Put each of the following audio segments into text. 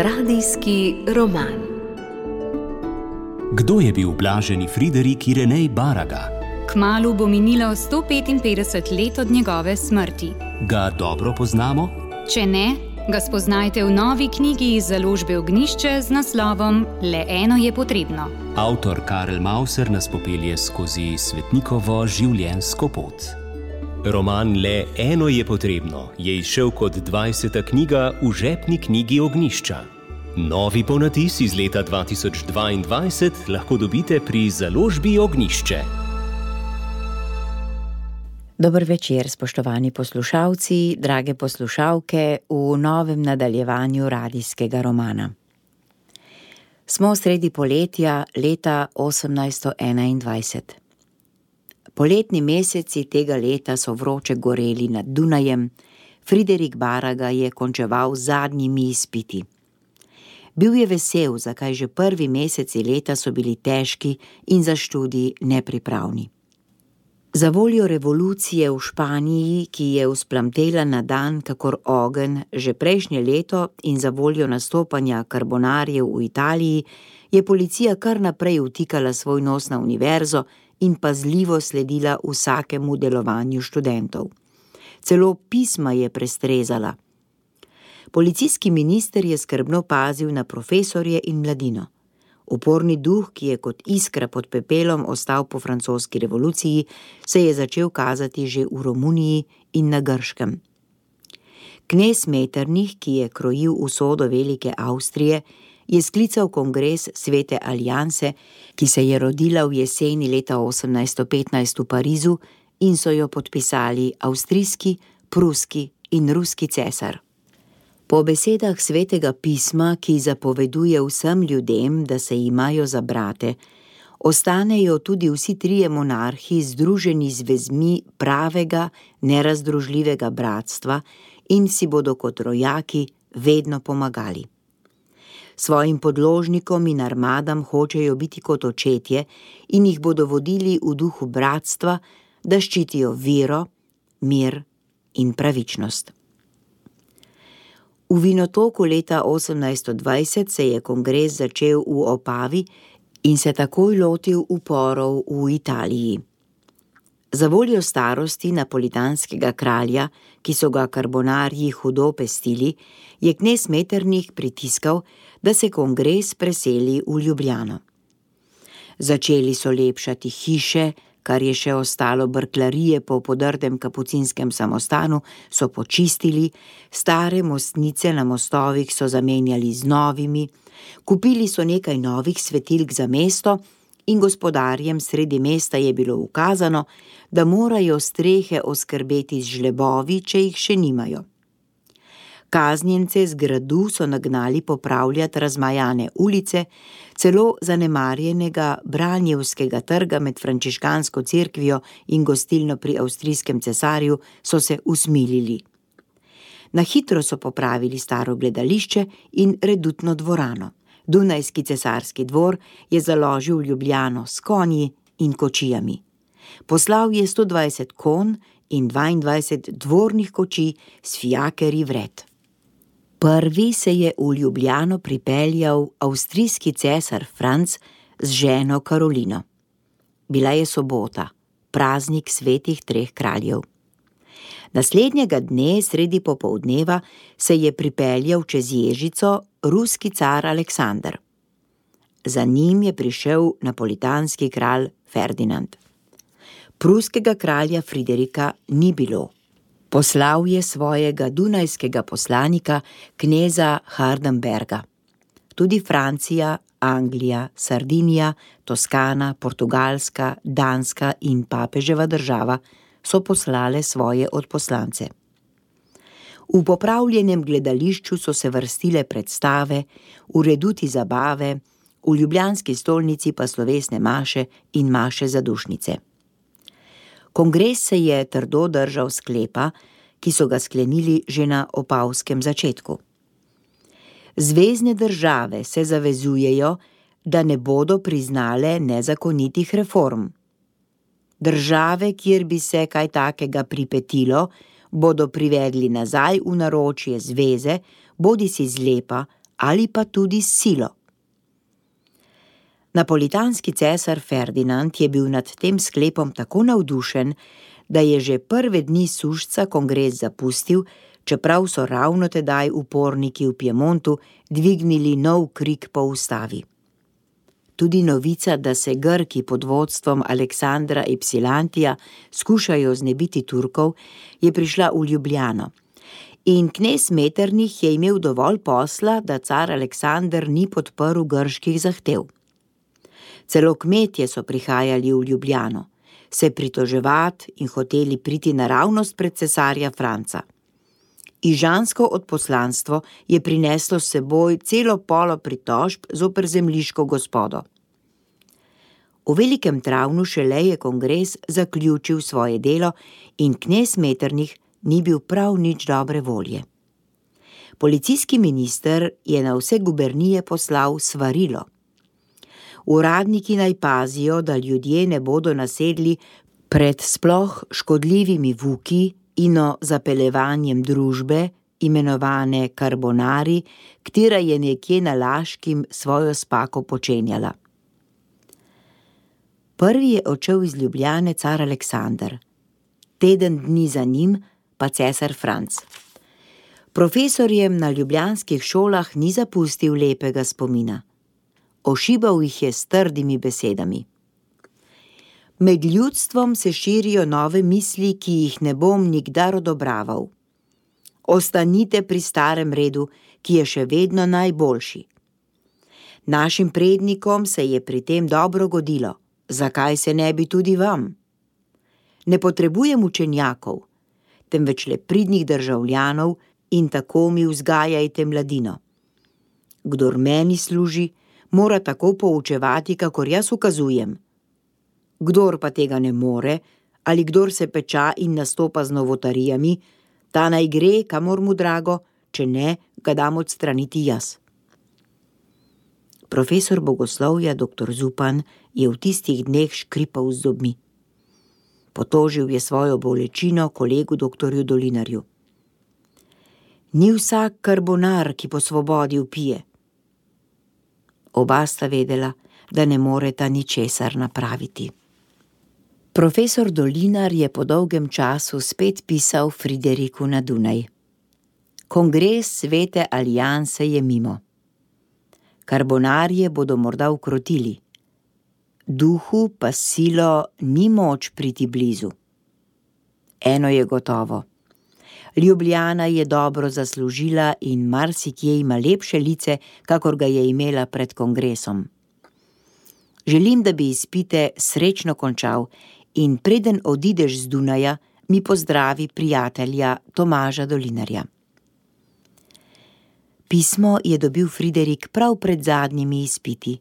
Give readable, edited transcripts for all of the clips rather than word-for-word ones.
Radijski roman. Kdo je bil blaženi Friderik Irenej Baraga? Kmalu bo minilo 155 let od njegove smrti. Ga dobro poznamo? Če ne, ga spoznajte v novi knjigi iz založbe Ognjišče z naslovom Le eno je potrebno. Avtor Karel Mauser nas popelje skozi svetnikovo življenjsko pot. Roman Le eno je potrebno je izšel kot 20. knjiga v žepni knjigi Ognjišča. Novi ponatis iz leta 2022 lahko dobite pri založbi Ognjišče. Dober večer, spoštovani poslušalci, drage poslušalke, v novem nadaljevanju radijskega romana. Smo sredi poletja leta 1821. Poletni meseci tega leta so vroče goreli nad Dunajem. Friderik Baraga je končeval z zadnjimi izpiti. Bil je vesel, zakaj že prvi meseci leta so bili težki in za študij nepripravni. Za voljo revolucije v Španiji, ki je vzplamtela na dan kakor ogenj že prejšnje leto, in za voljo nastopanja karbonarjev v Italiji, je policija kar naprej vtikala svoj nos na univerzo in pazljivo sledila vsakemu delovanju študentov. Celo pisma je prestrezala. Policijski minister je skrbno pazil na profesorje in mladino. Uporni duh, ki je kot iskra pod pepelom ostal po francoski revoluciji, se je začel kazati že v Romuniji in na Grškem. Knez Metternich, ki je krojil usodo velike Avstrije, je sklical kongres Svete alianse, ki se je rodila v jeseni leta 1815 v Parizu in so jo podpisali avstrijski, pruski in ruski cesar. Po besedah svetega pisma, ki zapoveduje vsem ljudem, da se imajo za brate, ostanejo tudi vsi trije monarhi združeni z vezmi pravega, nerazdružljivega bratstva in si bodo kot rojaki vedno pomagali. Svojim podložnikom in armadam hočejo biti kot očetje in jih bodo vodili v duhu bratstva, da ščitijo vero, mir in pravičnost. V Vinotoku leta 1820 se je kongres začel v Opavi in se takoj lotil uporov v Italiji. Za voljo starosti napolitanskega kralja, ki so ga karbonarji hudo pestili, je knez Metternich pritiskal, da se kongres preseli v Ljubljano. Začeli so lepšati hiše, kar je še ostalo brklarije po podrtem kapucinskem samostanu, so počistili, stare mostnice na mostovih so zamenjali z novimi, kupili so nekaj novih svetilk za mesto in gospodarjem sredi mesta je bilo ukazano, da morajo strehe oskrbeti z žlebovi, če jih še nimajo. Kaznjence z gradu so nagnali popravljati razmajane ulice, celo zanemarjenega Branjevskega trga med frančiškansko cerkvijo in gostilno pri avstrijskem cesarju so se usmilili. Na hitro so popravili staro gledališče in redutno dvorano. Dunajski cesarski dvor je založil Ljubljano s konji in kočijami. Poslal je 120 konj in 22 dvornih kočij s fijakerji vred. Prvi se je v Ljubljano pripeljal avstrijski cesar Franc z ženo Karolino. Bila je sobota, praznik svetih treh kraljev. Naslednjega dne, sredi popoldneva, se je pripeljal čez Ježico ruski car Aleksander. Za njim je prišel napolitanski kralj Ferdinand. Pruskega kralja Friderika ni bilo. Poslal je svojega dunajskega poslanika, kneza Hardenberga. Tudi Francija, Anglija, Sardinija, Toskana, Portugalska, Danska in papeževa država so poslale svoje odposlance. V popravljenem gledališču so se vrstile predstave, v reduti zabave, v ljubljanski stolnici pa slovesne maše in maše zadušnice. Kongres se je trdo držal sklepa, ki so ga sklenili že na opavskem začetku. Zvezne države se zavezujejo, da ne bodo priznale nezakonitih reform. Države, kjer bi se kaj takega pripetilo, bodo privedli nazaj v naročje zveze, bodisi zlepa ali pa tudi s silo. Napolitanski cesar Ferdinand je bil nad tem sklepom tako navdušen, da je že prve dni sušca kongres zapustil, čeprav so ravno tedaj uporniki v Piemontu dvignili nov krik po ustavi. Tudi novica, da se Grki pod vodstvom Aleksandra Ypsilantija skušajo znebiti Turkov, je prišla v Ljubljano. In knez Metternich je imel dovolj posla, da car Aleksander ni podprl grških zahtev. Celo kmetje so prihajali v Ljubljano, se pritoževati in hoteli priti naravnost pred cesarja Franca. Ižansko odposlanstvo je prineslo s seboj celo polo pritožb zoper zemljiško gospodo. V Velikem Travnu šele je kongres zaključil svoje delo in knez Metternich ni bil prav nič dobre volje. Policijski minister je na vse gubernije poslal svarilo. Uradniki naj pazijo, da ljudje ne bodo nasedli pred sploh škodljivimi vuki in zapeljevanjem družbe, imenovane karbonari, katera je nekje na Laškim svojo spako počenjala. Prvi je odšel iz Ljubljane car Aleksander, teden dni za njim pa cesar Franc. Profesorjem na ljubljanskih šolah ni zapustil lepega spomina. Ošibal jih je s trdimi besedami. Med ljudstvom se širijo nove misli, ki jih ne bom nikdar odobraval. Ostanite pri starem redu, ki je še vedno najboljši. Našim prednikom se je pri tem dobro godilo, zakaj se ne bi tudi vam? Ne potrebujem učenjakov, temveč le pridnih državljanov in tako mi vzgajajte mladino. Kdor meni služi, mora tako poučevati, kakor jaz ukazujem. Kdor pa tega ne more, ali kdor se peča in nastopa z novotarijami, ta naj gre, kamor mu drago, če ne, ga dam odstraniti jaz. Profesor bogoslovja dr. Zupan je v tistih dneh škripal z zobmi. Potožil je svojo bolečino kolegu dr. Dolinarju. Ni vsak karbonar, ki po svobodi vpije. Oba sta vedela, da ne moreta ničesar napraviti. Profesor Dolinar je po dolgem času spet pisal Frideriku na Dunaj. Kongres Svete alianse je mimo. Karbonarje bodo morda ukrotili. Duhu pa silo ni moč priti blizu. Eno je gotovo. Ljubljana je dobro zaslužila in marsikje ima lepše lice, kakor ga je imela pred kongresom. Želim, da bi izpite srečno končal in preden odideš z Dunaja, mi pozdravi prijatelja Tomaža Dolinarja. Pismo je dobil Friderik prav pred zadnjimi izpiti.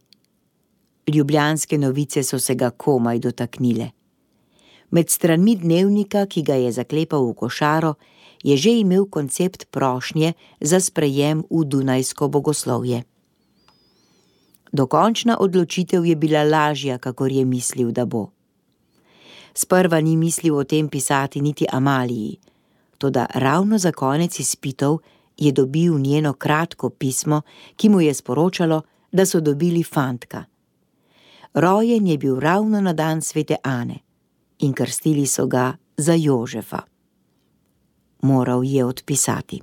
Ljubljanske novice so se ga komaj dotaknile. Med stranmi dnevnika, ki ga je zaklepal v košaro, je že imel koncept prošnje za sprejem v dunajsko bogoslovje. Dokončna odločitev je bila lažja, kakor je mislil, da bo. Sprva ni mislil o tem pisati niti Amaliji, toda ravno za konec izpitov je dobil njeno kratko pismo, ki mu je sporočalo, da so dobili fantka. Rojen je bil ravno na dan svete Ane in krstili so ga za Jožefa. Moral je odpisati.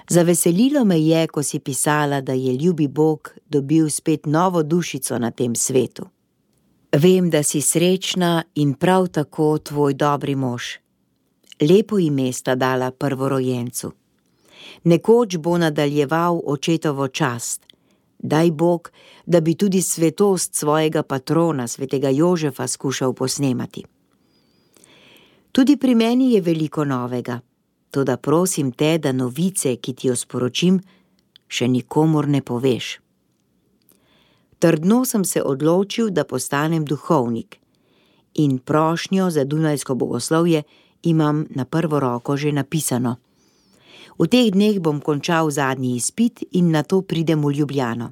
Zaveselilo me je, ko si pisala, da je ljubi Bog dobil spet novo dušico na tem svetu. Vem, da si srečna in prav tako tvoj dobri mož. Lepo ime sta dala prvorojencu. Nekoč bo nadaljeval očetovo čast. Daj Bog, da bi tudi svetost svojega patrona, svetega Jožefa, skušal posnemati. Tudi pri meni je veliko novega, toda prosim te, da novice, ki ti jo sporočim, še nikomur ne poveš. Trdno sem se odločil, da postanem duhovnik in prošnjo za dunajsko bogoslovje imam na prvo roko že napisano. V teh dneh bom končal zadnji izpit in nato pridem v Ljubljano.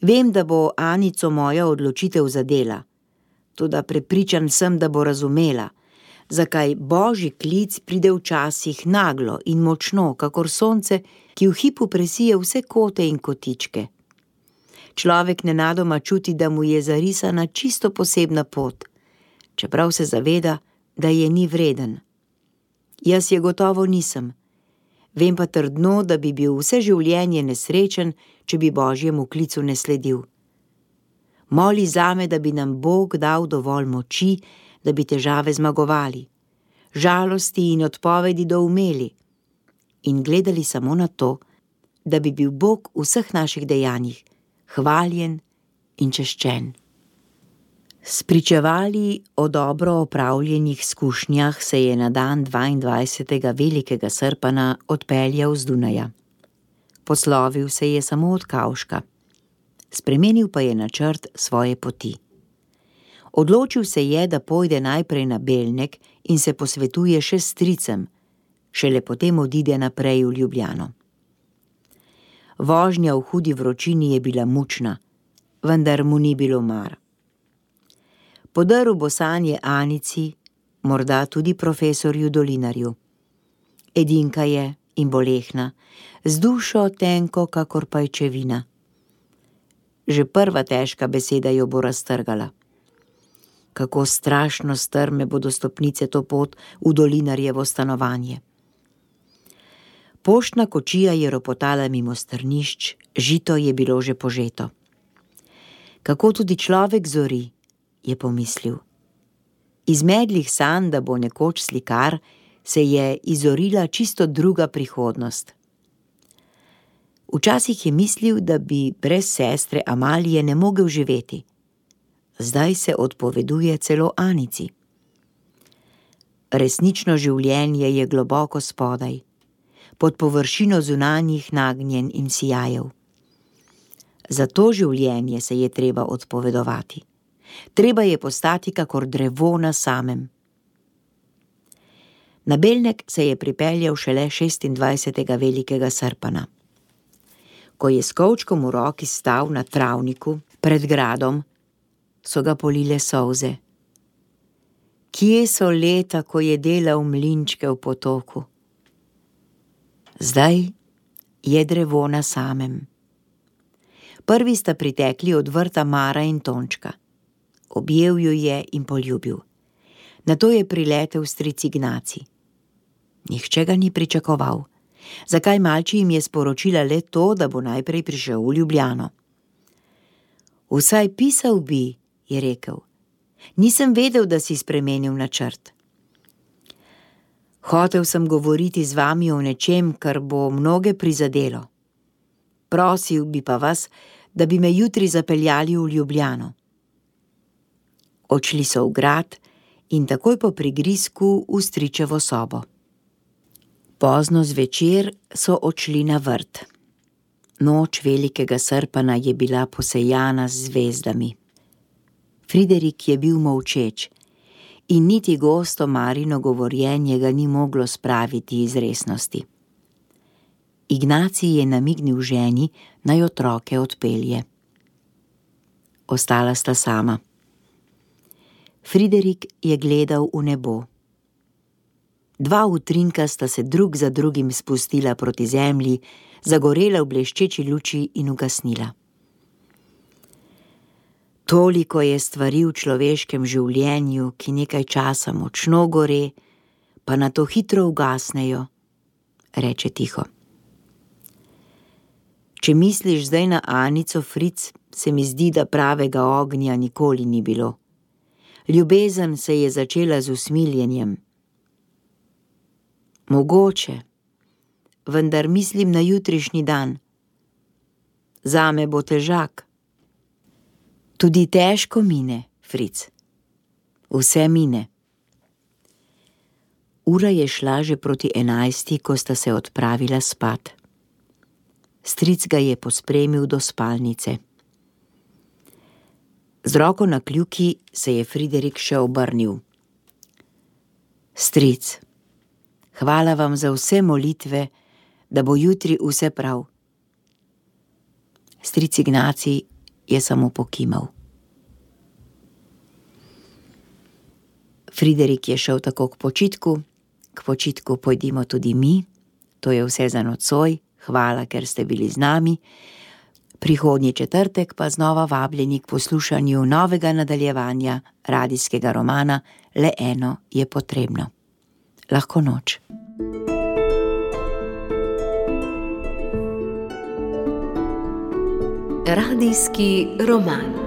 Vem, da bo Anico moja odločitev zadela, toda prepričan sem, da bo razumela, zakaj božji klic pride včasih naglo in močno, kakor sonce, ki v hipu presije vse kote in kotičke. Človek nenadoma čuti, da mu je zarisana čisto posebna pot, čeprav se zaveda, da je ni vreden. Jaz je gotovo nisem. Vem pa trdno, da bi bil vse življenje nesrečen, če bi božjemu klicu ne sledil. Moli zame, da bi nam Bog dal dovolj moči, da bi težave zmagovali, žalosti in odpovedi doumeli in gledali samo na to, da bi bil Bog v vseh naših dejanjih hvaljen in češčen. Spričevali o dobro opravljenih izkušnjah se je na dan 22. velikega srpana odpeljal z Dunaja. Poslovil se je samo od kavška. Spremenil pa je načrt svoje poti. Odločil se je, da pojde najprej na Belnek in se posvetuje še s stricem, šele potem odide naprej v Ljubljano. Vožnja v hudi vročini je bila mučna, vendar mu ni bilo mar. Podrl bo sanje Anici, morda tudi profesorju Dolinarju. Edinka je in bolehna, z dušo tenko kakor pajčevina. Že prva težka beseda jo bo raztrgala. Kako strašno strme bodo stopnice to pot v Dolinarjevo stanovanje. Poštna kočija je ropotala mimo strnišč, žito je bilo že požeto. Kako tudi človek zori, je pomislil. Iz medlih sanj, da bo nekoč slikar, se je izorila čisto druga prihodnost. Včasih je mislil, da bi brez sestre Amalije ne mogel živeti. Zdaj se odpoveduje celo Anici. Resnično življenje je globoko spodaj, pod površino zunanjih nagnjen in sijajev. Za to življenje se je treba odpovedovati. Treba je postati kakor drevo na samem. Na Belnek se je pripeljal šele 26. velikega srpana. Ko je s kovčkom v roki stal na travniku pred gradom, so ga polile solze. Kje so leta, ko je delal mlinčke v potoku? Zdaj je drevo na samem. Prvi sta pritekli od vrta Mara in Tončka. Objel ju je in poljubil. Nato je priletel stric Ignaci. Nihče ga ni pričakoval. Zakaj malči jim je sporočila le to, da bo najprej prišel v Ljubljano? Vsaj pisal bi, je rekel. Nisem vedel, da si spremenil načrt. Hotel sem govoriti z vami o nečem, kar bo mnoge prizadelo. Prosil bi pa vas, da bi me jutri zapeljali v Ljubljano. Odšli so v grad in takoj po prigrizku v stričevo sobo. Pozno zvečer so odšli na vrt. Noč velikega srpana je bila posejana z zvezdami. Friderik je bil molčeč in niti gosto Marino govorjenje ga ni moglo spraviti iz resnosti. Ignacij je namignil ženi, naj otroke odpelje. Ostala sta sama. Friderik je gledal v nebo. Dva utrinka sta se drug za drugim spustila proti zemlji, zagorela v bleščeči luči in ugasnila. Toliko je stvari v človeškem življenju, ki nekaj časa močno gore, pa nato hitro ugasnejo, reče tiho. Če misliš zdaj na Anico, Fric, se mi zdi, da pravega ognja nikoli ni bilo. Ljubezen se je začela z usmiljenjem. Mogoče, vendar mislim na jutrišnji dan. Zame bo težak. Tudi težko mine, Fric. Vse mine. Ura je šla že proti 11, ko sta se odpravila spat. Stric ga je pospremil do spalnice. Z roko na kljuki se je Friderik še obrnil. Stric, hvala vam za vse molitve, da bo jutri vse prav. Stric Ignacij je samo pokimal. Friderik je šel tako k počitku pojdimo tudi mi. To je vse za nocoj, hvala, ker ste bili z nami. Prihodnji četrtek pa znova vabljeni k poslušanju novega nadaljevanja radijskega romana Le eno je potrebno. Lahko noč. Radijski roman.